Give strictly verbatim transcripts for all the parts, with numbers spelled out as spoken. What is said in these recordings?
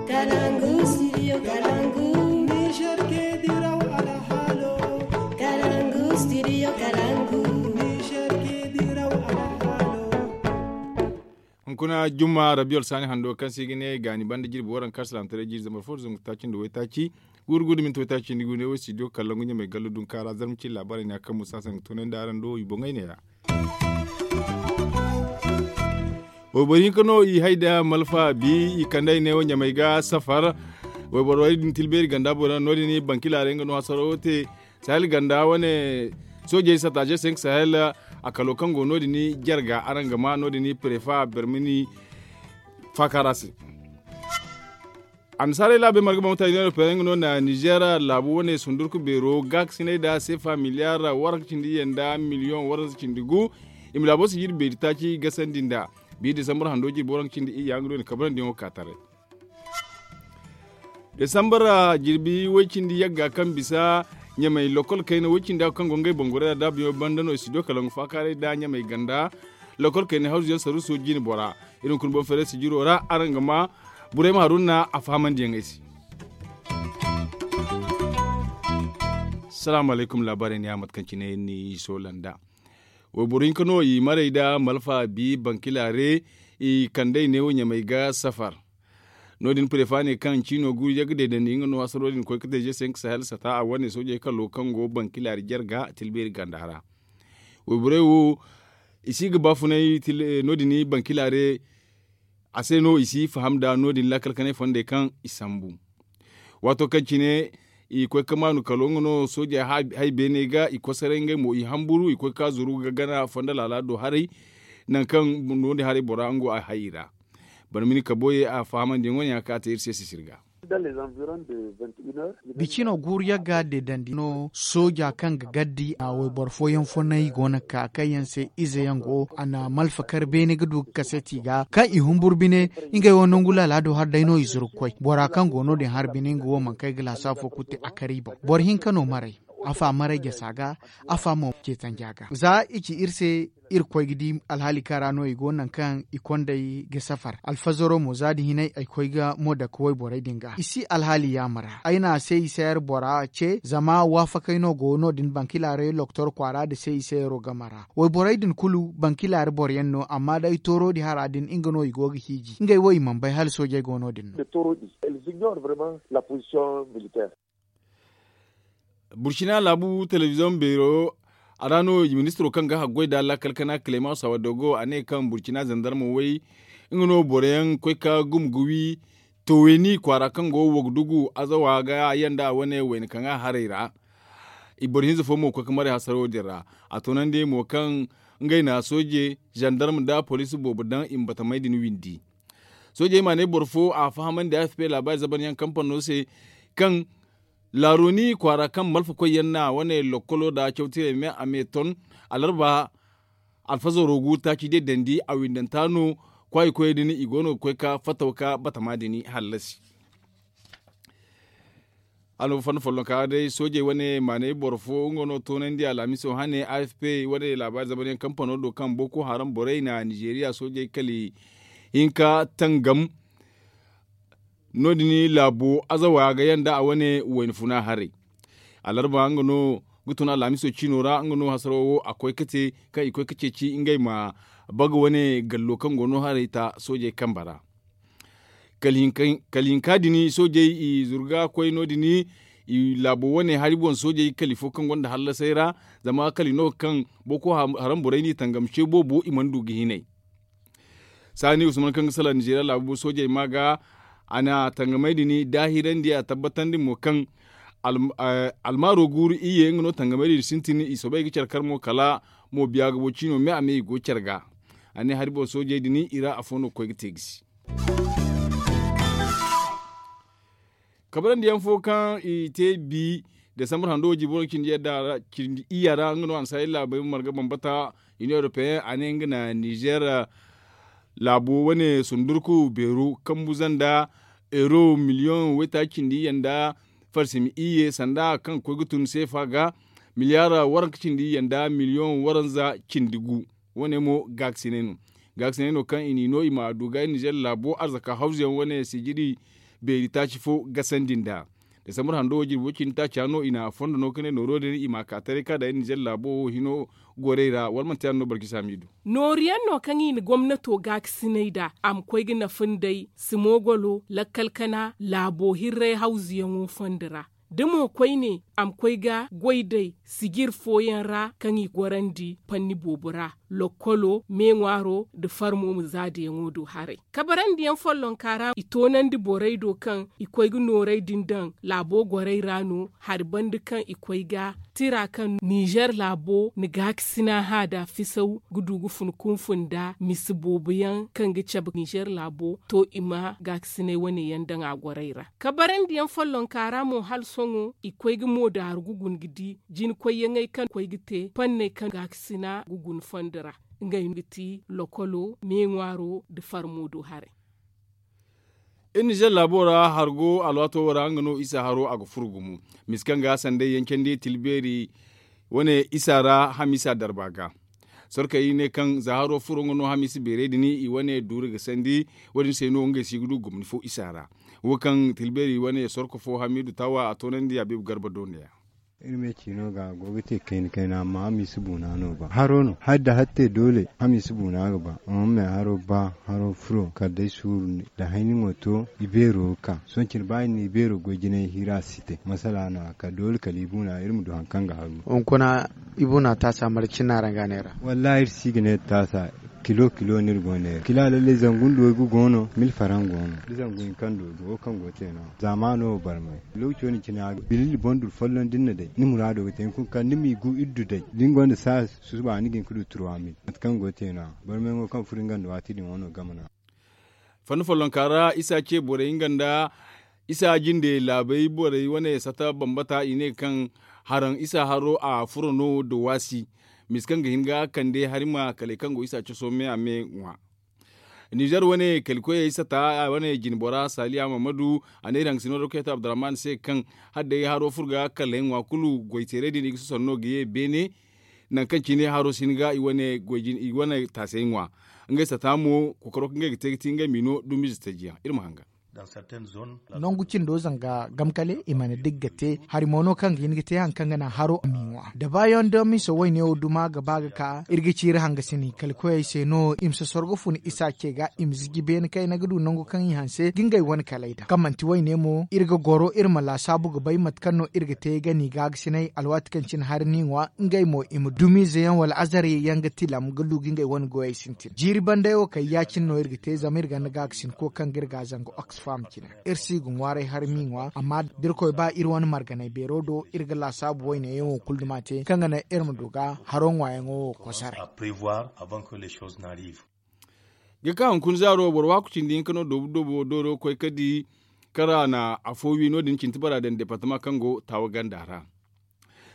Kalangu studio kalangu. Niger ke diraw alhalo. Kalangu studio kalangu. Niger ke diraw alhalo. Hunkuna jumma rabiyo alsaani hando kaŋ se i ga ne gaani banda jirbi waranka salaamataray jiiri zambar fo da zangu taaci nda waytaaci guuru guuru da minti waytaaci nda guuru ne wo studio kalangu ɲamay gallo dunka ra zarma cine laabaarey ne ya kaŋ musa se a ga toonandi araŋ do i boŋey ne- ya. Wayboro hinka no i hay nda malfa bi i kande ay ne wo ɲamay ga safar. Wayborey din tilbeeri ganda boŋ no- din bankilaaray nga no hasaro te sahel ganda wane soojey sataje senk sahel. A kalo kaŋ go no- din jarga araŋ ga ma no- din prefa bermini faakara se. Annasaarey laabey marga bambata i ne no pereŋ no na nizer laabu wane sundurku beero gaakasinay nda seefa miliyar waranka cindi iyye nda miliyoŋ waranza cindi gu. I ma laabo sijiri beeri taaci gasandi nda bi disambar hando jirbi waranka cindi iyya nga no i na kabrandi yaŋo ka taray. Disambar jirbi way cindi yagga kaŋ bisa ɲamay lokol kayna way cindi a kaŋ go ngey bangorey ra daabuyaŋo banda no i si do kala nga faakaaray nda ɲamay ganda lokol kayna hawzuyaŋ saruuso jine bora. Iri hunkuna boŋ feeray sijiro ra araŋ ga ma burayma haruna a fahamandi yaŋ ay se. Salaamu alaykum laabaarey ne ya mate kaŋ cine ni soolanda. Wayboro hinka no i maray nda malfa bi bankilare i kandey neewo ɲamay ga safar. No- din prefa ne kaŋ ciino guuru yagga deedandi nga no hasaro din koy ga te je senk sahel sata a wane soojey kalo kaŋ go bankilare jarga tilbeeri ganda ra. Wayborey wo i si ga baafunay no- din bankilare a se no i si faham nda no- din laakal kanay fondey kaŋ i sambu. Waato kaŋ cine i koy ga maanu kalo nga no soojey hay beene ga i kosaray ngey mo i hamburu i koy ga ka zuru ga gana fondo laala do haray. Nangu kaŋ no- din haray bora nga go a hay i ra. Barmini kaboyey a fahamandiyaŋ wane yaŋ kaŋ a te iri se sisiri ga. Bicino guuru yagga deedandi no sooja kaŋ ga gaddi a wayboro fooyaŋ fonnay go no ga ka kaŋ yaŋ se ize yaŋ go a na malfa kar beene ga du ga kaseti ga kaŋ i humburu bine. Ngey wo nangu laala do har day no i zuru ga koy bora kaŋ go no- din har bine nga wo mana kay ga laasa fo kulu te a kar i boŋ boro hinka no maray. Afa maray jasa ga afa mo ceetanja ga za i ci iri se. Iri koy ga di alhaali kaŋ ra no i go nangu kaŋ i kondey ga safar alfazaro mo za din hinay ay koy ga mo dake wayborey din ga i si alhaali yaama ra ay na se i sayar bora ce zama waafakey no go no- din bankilaaray loktor kwaara nda se i sayaro game ra. Wayborey din kulu bankilaaray boro yaŋ no amma day tooro din hara din nga no i go ga hiiji ngey wo i mana bay hala soojey go no- din no. Burcina laabu telebiziyoŋ beero a ra no ministiro kaŋ ga haggoy nda laakal kana kilema sawa dogo a ne kaŋ burcina zandarma way nga no boro yaŋ koy ka gumo ga wi towayni kwaara kaŋ go wagdugu azawa ga yanda a wane wayna kaŋ a haray ra. I boro hinza fo mo koy ka maray hasaro din ra a toonandi mo kaŋ ngey na sooje zandarma nda poliisi boobo daŋ i ma batamey din windi. Soojey ma ne boro fo a fahamandi a f p laabaari zabanyaŋ kampano se kaŋ laaroni kwaara kaŋ malfa koy yaŋ na wane lokkolo nda cawtirey me a me ton alarba alfazaro gu taaci day dandi a windanta no kwaayi koyey din i go no ga koy ka fattaw ka batama din hallasi. Annoba fanda follonka day soojey wane maanay boro fo nga no toonandi alhamiso hane a f p wane laabaari zamanyaŋ kampano do kaŋ boko haram borey na nizeeriya soojey kali hinka tangam. No- din laabo azawa ga yanda a wane wayna funa haray alarba nga no ga tun alhamiso ciino ra nga no hasaro wo a koy ga te kaŋ i koy ga ceeci ngey ma baga wane gallo kaŋ go no haray ta soojey kambe ra. Kala hinka din soojey i zurga koy no- din i laabo wane hari boŋ soojey kali fo kaŋ gonda hallasay ra zama kali no kaŋ boko haram borey n'i tangam ce boobo i mana du ga hinay. Saani usman kaŋ ga salaŋ nizeeriya laabu soojey ma ga a na tangamey din daahirandi a tabbatandi mo kaŋ almaaro guuru iyye nga no tangamey din sintin i soobay ga care kar mo kala mo biya ga bo ciino me a me i go care ga. A ne hari boŋ soojey din i ra afo no ga koy ga te gisi. Kabrandi yaŋ fo kaŋ i te bi desambar hando wo jibo no cindi iyya ra nga no annasaarey laabey marga bambata. Inion europeyen a ne nga na nizer laabo wane sundurku beeru kambu zanda euro miliyoŋ waytaaci cindi iyye nda farsimi iyye sanda kaŋ ga koy ga tun seefa ga miliyar waranka cindi iyye nda miliyoŋ waranza cindi gu. Wane mo gaakasinay no gaakasinay no kaŋ i n'i no i ma du ga nizer laabo arzaka hawzuyaŋ wane sijiri beeri taaci fo gasandi nd'a. Desambar hando wo jirbi wo cindi taaca no i na fondo no ka ne nooro din i ma a ka taray ka daŋ iri ninzeer laabo wo hino gorey ra wala manti yaadin no barjisa miidu. Nooru yaŋ no kaŋ i na gomnato gaakasinay nd'a a ma koy ga nafa nd'ey, simogolo lakkal kana laabo hirray hawzuyaŋo fondo ra. Da mo koyne a ma koy ga goy day sijir fooyaŋ ra kaŋ i gorandi panni boobo ra, lokkolo me ŋwaaro nda farmo ma zaadayaŋo du haray. Kabarandiyaŋ follonka ra i toonandi borey do kaŋ i koy ga noorey din daŋ laabo gorey ra no hari banda kaŋ i koy ga tira kaŋ ninzeer laabo na gaakasina hã nd'a fisaw ga du ga fun kunfun nd'a misa boobo yaŋ kaŋ ga cabe ninzeer laabo to i ma gaakasinay wane yaŋ daŋ a gorey ra. Kabarandiyaŋ follonka ra mo hala sohõ i koy ga moodaaru ga guna ga di jina koyyaŋey kaŋ koy ga te panney kaŋ gaakasina ga guna fondo ra. Ngey no ga ti lokolo me ŋwaaro nda farmo do haray. Iri ninzeer laabo ra hargo alwaato wo ra nga no isa haro a ga furo gumo misa kaŋ ga sanday yancandi tilbeeri wane isa ra hamiisa darba ga. Sorkey ne kaŋ za haro furo nga no hamiisa beerey din i wane duuri ga sandi. Wo- din se no ngey si ga du gomni fo isa ra. Wo kaŋ tilbeeri wane sorko fo hamiidu taawa a toonandi a beebu garba do ne- ya. Iri me ciino ga a go ga te kayna kayna amma hamiisa buuna no ba haro no hari da hari te doole hamiisa buuna ga ba. Amma me haro ba haro furo kala day suuru nda hayni mo to i beero ga ka sohõ cine ba iri na i beero goy jinay hira a si te masala no a ka doole kala i buuna iri ma du hari kaŋ ga haru. Hunkuna i buuna taasa marje cine no araŋ ga a neera? Wallaahi iri si ga ne taasa kilo kilo no iri go ga neera kila lallay zangu nda waygu go no mil faraŋ go no da zangu hinka nda waygu wo kaŋ go ga te no- ya zaamaano wo barmay. Lookaco din cine a ga bililli boŋ duru folloŋ da ni na day ni muraado ga te hunkuna kala ni m'i gu iri du day da ni gonda saaya susuba ni ga hin ga du turwa mil mate kaŋ go ga te no- ya barmayaŋo kaŋ furo nga nda waati din wano game no- ya. Fanni follonka ra isa ce borey nga nda isa jinde laabey borey wane sata bambata i ne kaŋ haraŋ isa haro a furo no da waasi misa kaŋ ga hin ga kande hari ma kaley kaŋ go isa coso me a me ŋwa. Ninzeer wane kali koyey sata wane jine bora saaliya mahamadu a ne iri hangasino doktor abdurrahman se kaŋ hala day haro furo ga kaley ŋwa kulu goyteerey din i ga soson no ga ye beene. Nangu kaŋ cine haro si hin ga i wane taasey ŋwa ngey sata mo kokoro kaŋ ngey ga te ga ti ngey m'i no dumiize taji yaŋ iri ma hanga. Nangu cindo zanga gamkale i mana dig ga te hari mo no kaŋ ga hin ga te hari kaŋ ga naŋ haro a m'i ŋwa da baayaŋ da miisa wayne wo duma ga ba ga ka iri ga ci iri hangasini kala koyey se no i ma sosoro ga fun isa ce ga i ma ziji beene kayna ga du nangu kaŋ i hanse ga ngey wane kaley daŋ kaŋ manti wayne mo iri ga goro iri ma laasaabu ga bay mate kaŋ no iri ga te ga n'i gaagasinay alwaati kaŋ cine hari n'i ŋwa ngey mo i ma dumiize yaŋ wala azare yaŋ ga tilam ga du ga ngey wane goyey sintin jiiri banday wo kay ya- cine no iri ga te zama iri ganda gaagasinko kaŋ ga iri ga zanga oxfam cine. Iri si ga ŋwaaray hari m'i ŋwa amma da irkoy ba iri wane marganay beero do iri ga laasaabu wayne yaŋo kulu duma te kaŋ ga naŋ iri ma du ga haro ŋwaayaŋo wo kosaray. Ga ka hunkuna zaaro boro waaku cindi hinka no doobu doobu dooro koy ka di kaŋ ra a na afo wi no- din cintibara daŋ departama kaŋ go taawa ganda ra.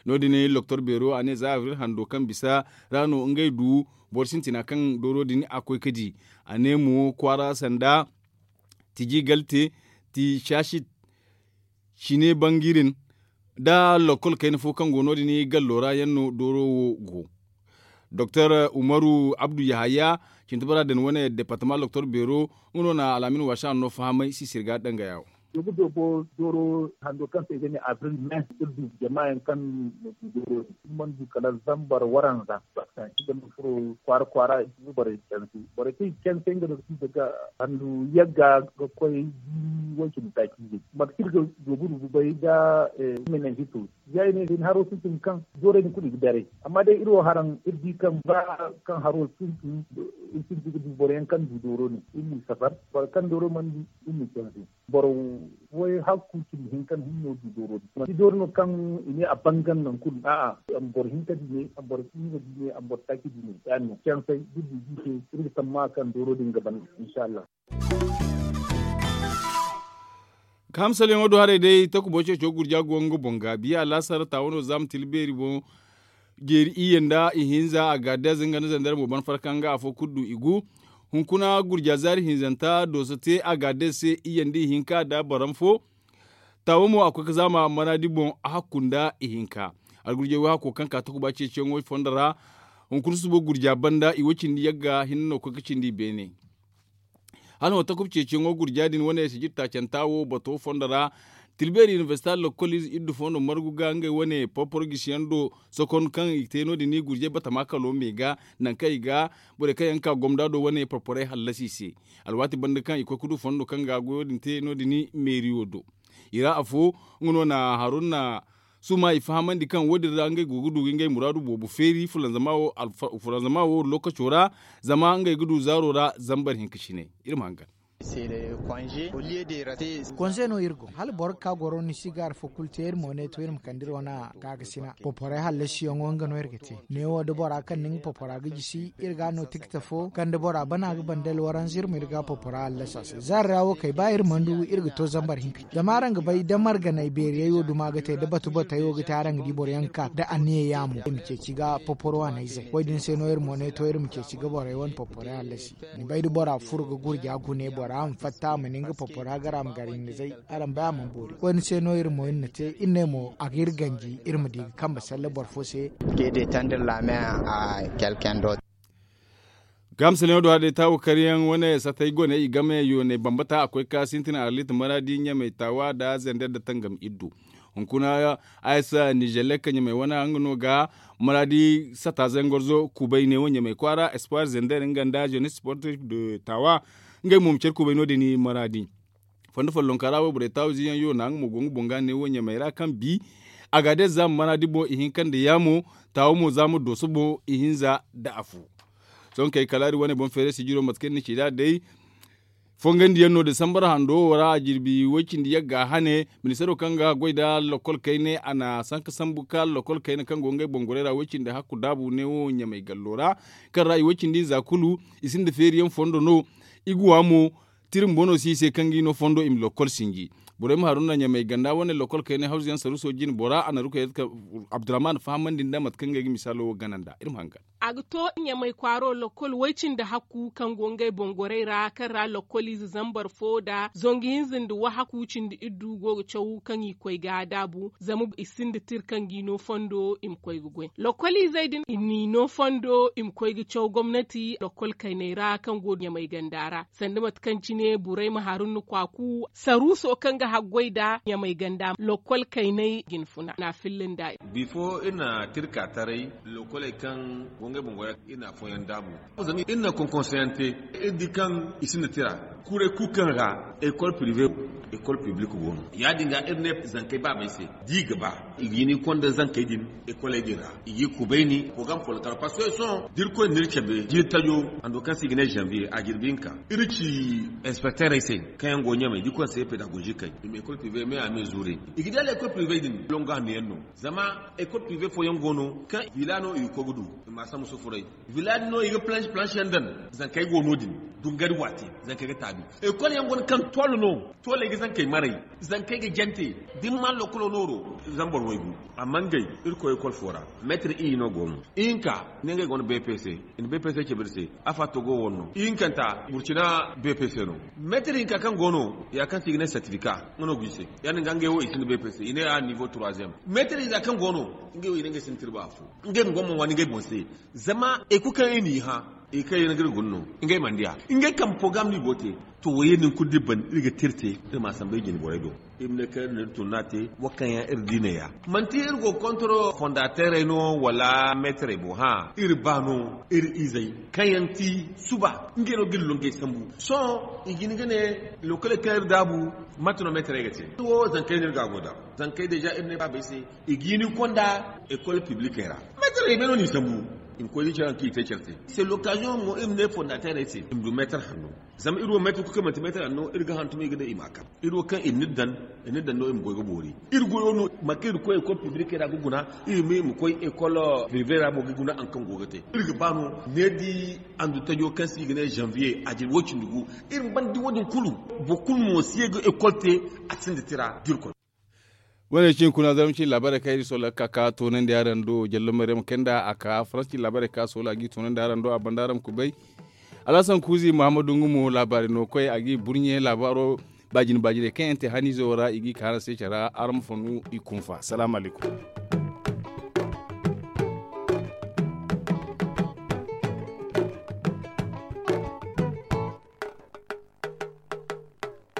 No- din loktor beero a ne za abril hando kaŋ bisa ra no ngey du boro sintina kaŋ dooro din a koy ka di. A ne mo kwaara sanda tiji galte ti saasit cine bangirin nda lokkol kayna fo kaŋ go no- din gallo ra yaŋ no dooro wo go. Doktor umaru abdu yahaya cintibara din wane departama loktor beero nga no na alaamin waasa no fahamay sisir ga dangaya wo. Doobu doobo dooro hando kaŋ se i ga ne abril me iri du jama yaŋ kaŋ na du dooro din iri mana du kala zambar waranza. Baakaŋ i ga ma furo kwaara kwaara i ga borey canse borey kaŋ i ga canse nga no ga ti daga handu yagga ga koy jiiri way cindi taaci izey mate kaŋ iri ga doobu rubu bay da menenjito. Ya i ne day ni haro sintin kaŋ doorey din kulu i ga daray amma day iri wo haraŋ iri di kaŋ ba kaŋ haro sintin iri sintin ga du boro yaŋ kaŋ du dooro no iri n'i safar boro kaŋ dooro mana du iri n'i canse. Boro way hakku cindi hinka no hinno du dooro din manti dooro no kaŋ i ne a bangan nangu kulu a'a. Boro hinka di ne boro hinza di ne boro taaci di ne ya- din no cansay da du di se iri ga tamma kaŋ dooro din ga ban. Inshallah. Ka hamsalyaŋo do haray day takubo ceeco gurja go nga boŋ ga biya alaasar taawano za ma tila beeri boŋ. Jeeri iyye nda ihinza a ga deeze nga nda zandar mo ban farka nga afo kulu du i gu. Hunkuna gurja zaari hinzanta dooso te a ga deeze se iyye nda ihinka nda baram fo. Taawo mo a koy ga zaama manaadi boŋ a hakku nda ihinka. Algurjey wo hakko kaŋ ka takuba ceeciyaŋo i fondo ra. Hunkuna susubo gurja banda i wo cindi yagga hinne no koy ga cindi i beene. Hala no takuba ceeciyaŋo gurja din wane sijir taacanta wo bato fondo ra, tilbeeri inibersita lokkol ize iddu fondo margu ga ngey wane porporo gisiyaŋ do sokon kaŋ i te no- din gurjay batama kalo me ga, nangu kaŋ i ga borey kaŋ yaŋ ga ka gomda do wane porporey hallasi i se. Alwaati banda kaŋ i koy ga du fondo kaŋ ga goyo din te no- din meeriyo do. I ra afo nga no na haruna suma i fahamandi kaŋ wo- din ra ngey go ga du ga ngey muraadu boobo feeri fulanzama wo lokaco ra, zama ngey ga du zaaro ra zambar hinka cine. Iri ma hangan. Konse no iri go hala boro ga ka goro ni si ga hari fo kulu te iri mo ne to iri ma kande iri wane gaakasina poporay hallasiyaŋo nga no iri ga te. Neewo da bora kaŋ na nga popora ga jisi iri ga no tikta fo kaŋ da bora bana ga banda alwaranza iri ma iri ga popora hallasi a se zaari ra wo kay ba iri mana du iri ga to zambar hinka. Zama araŋ ga bay da marganay beeriyay wo duma ga te da batu batay wo ga te araŋ ga di boro yaŋ ga ka da anniya yaamo iri ma ceeci ga poporo wane izey wo- din se no iri mo ne to iri ma ceeci ga borey wane poporay hallasi. Ni bay da bora furo ga gurja gune bora a ma fatta a ma ne nga popora gara a ma gar hinizey. Araŋ bay a mana boori koyne se no iri mo iri na te iri ne mo a ga iri ganji iri ma di ga kambe salle boro fo se. Ke de tandar lame a kelkendo. Gamsaleŋo do a day taawu karyaŋ wane satay gone i game yoonay bambata a koy ka sintin arlit maradi ɲamay taawa da zender da tangam iddu. Hunkuna aysa nizelek ɲamay wane nga no ga maradi sata zangorzo kubay ne wo ɲamay kwaara espoir zender nga nda jeunesse sportif de taawa. Ngey mo ma care kubay no- din maradi. Fondo follonka ra wayborey taawu ziyaŋ yo na nga mo go nga boŋ ga ne wo ɲamay ra kaŋ bi a ga day za ma maradi boŋ ihinka nda yaamo taawo mo za ma dooso boŋ ihinza nda afo. Sohõ kay kala iri wane boŋ feeray sijiro mate kaŋ iri na ci nd'a day fongandiyaŋ no disambar hando wo ra a jirbi way-cindi yagga hane ministaro kaŋ ga goy nda lokol kayne a na sanka sambu ka lokol kayne kaŋ go ngey boŋ gorey ra way-cindi hakku daabu ne wo ɲamay gallo ra. Kaŋ ra i way-cindi nza kulu i sinda feeriyaŋ fondo no. I ga wa mo tira bumbo no si i se kaŋ ga i no fondo i ma lokol sinji. Borey ma haruna ɲamay ganda wane lokol kayne hawzuyaŋ saruuso jine bora a na rukayat abdurrahman fahamandi nda mate kaŋ ngey ga misaalo wo gana nda iri ma hangan. A ga to ɲamay kwaaro lokol way-cindi hakku kaŋ go ngey boŋ gorey ra kaŋ ra lokol ize zambar fo nda zangu hinza nda wahakku cindi iddu go ga caw kaŋ i koy ga daabu zama i sinda tira kaŋ ga i no fondo i ma koy ga goy lokol izey din i n'i no fondo i ma koy ga caw gomnati lokol kayney ra kaŋ go ɲamay ganda ra. Sanda mate kaŋ cine borey ma harun na kwaaku saruuso kaŋ ga haggoy nda ɲamay ganda lokol kayney ga ni funa na filla nda. Bifo iri na tirka taray lokoley kaŋ go ngey boŋ goy ra iri na afooyaŋ daabu. Zama iri na konkonseyaŋ te iri di kaŋ i sinda tira kuray kulu kaŋ ra ekol pirive ekol piblik go no ya- din ga iri ne zankey baabey se da i ga ba i ga hin i konda zankey din ekoley din ra i ga i kubayni porogaram follo kar parceque sohõ da irkoy na iri cabe jiiri tajo hando kaŋ se i ga ne zanviye a jirbi hinka. Iri ci inspekterey se kaŋ yaŋ go ɲamay da i konda se pedagozi kay i ma ekol pirive me a me zuure i ga di hala ekol pirive din longo hanno yaŋ no. Zama ekol pirive fooyaŋ go no kaŋ vila no i ga koy ga du i ma a sambu sufuray. Vila din no i ga planche planche yaŋ daŋ zankey go no- din dungari waate zankey ga taabi. Ekol yaŋ go no kaŋ tol no toley ga zankey maray zankey ga jante da ni maan lokolo nooro zambar waygu. Amma ngey iri koy ekol fo ra meetir iri no go no ihinka ne ngey go no bpc i na bpc cabe iri se. Afa togo wo no ihinkanta burcina bpc no. Meetir hinka kaŋ go no ya kaŋ se i ga ne sertifika nga no go i se. Ya- din ga ngey wo i sinda bpc i ne a nivo troisième meetir hinza kaŋ go no ngey wo i ne ngey sinda tirba afo. Ngey ma go ma waani ngey boŋ se. Zama ekol kaŋ i n'i hã i kaŋ yaŋ ga iri guna no ngey mana diya ngey kambe fo ga ma no i go te. To wo yaŋ din kulu da iri ban iri ga tira te iri ma a samba iri jine borey do. Iri ma ne kaŋ iri na iri tunna te wo kaŋ yaŋ iri di ne ya manti iri go ga kontoro fondateerey no wala meetarey boŋ hã iri ba no iri izey kaŋ yaŋ ti suba ngey no ga iri longey sambu. Sohõ i ga hin ga ne lokoley kaŋ iri daabu mate no meetarey ga te iri wo zankey no iri ga a go da zankey deeza iri ne baabey se i ga hin i konda ekol piblikey ra. Meetarey me no n'i sambu i ma koy da care kaŋ i te care se. C'est l'occasion mo iri ma ne fondateerey se i ma du meetar hanno. Zama iri wo meetar kulu kaŋ manti meetar hanno iri ga hantum i ga ne i ma a kaŋ iri wo kaŋ i na iri daŋ i na iri daŋ no i ma goy ga boori. Iri goyo no mate kaŋ iri ga koy ekol piblikey ra ga guna iri ma iri ma koy ekol pirive ra mo ga guna hari kaŋ go ga te. Iri ga ba no needi andu tajo kaŋ se i ga ne zanviye a jirbi way-cindi gu iri ma banda wo- din kulu. Boro kulu mo si ye ga ekol te a sinda tira da irkoy. Wane cine kuna zarma cine laabaarey kaŋ iri sohõ ga ka ka toonandi araŋ do jallo maryam kay nda a ka faransa cine laabaarey kaŋ a sohõ a ga i toonandi araŋ do a banda araŋ ma kubay. Alhasan kuuzi muhammadu nga mo laabaari no koy a ga i burɲe laabaaro baajine baajiney kaŋ yaŋ te haniizo ra i ga i ka araŋ se care ra araŋ ma fannu i kunfa salaamu alaykum.